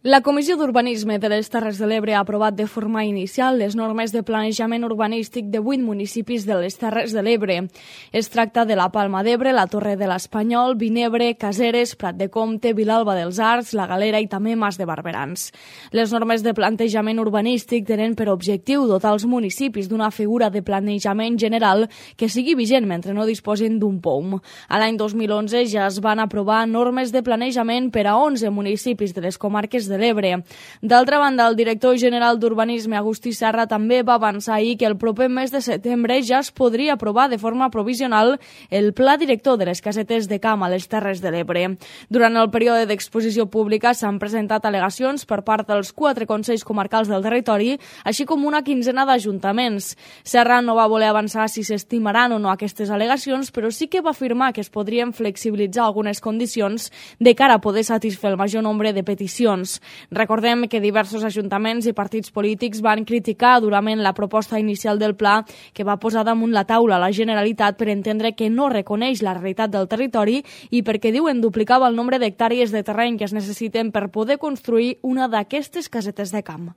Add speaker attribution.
Speaker 1: La Comissió d'Urbanisme de les Terres de l'Ebre ha aprovat de forma inicial les normes de planejament urbanístic de 8 municipis de les Terres de l'Ebre. Es tracta de la Palma d'Ebre, la Torre de l'Espanyol, Vinebre, Caseres, Prat de Comte, Vilalba dels Arcs, la Galera i també Mas de Barberans. Les normes de plantejament urbanístic tenen per objectiu dotar els municipis d'una figura de planejament general que sigui vigent mentre no disposin d'un POUM. A l'any 2011 ja es van aprovar normes de planejament per a 11 municipis de les comarques de l'Ebre. D'altra banda, el director general d'Urbanisme, Agustí Serra, també va avançar ahir que el proper mes de setembre ja es podria aprovar de forma provisional el pla director de les casetes de camp a les Terres de l'Ebre. Durant el període d'exposició pública s'han presentat al·legacions per part dels 4 consells comarcals del territori, així com una quinzena d'ajuntaments. Serra no va voler avançar si s'estimaran o no aquestes al·legacions, però sí que va afirmar que es podrien flexibilitzar algunes condicions de cara a poder satisfer el major nombre de peticions. Recordem que diversos ajuntaments i partits polítics van criticar durament la proposta inicial del pla que va posar damunt la taula la Generalitat per entendre que no reconeix la realitat del territori i perquè diuen duplicava el nombre d'hectàrees de terreny que es necessiten per poder construir una d'aquestes casetes de camp.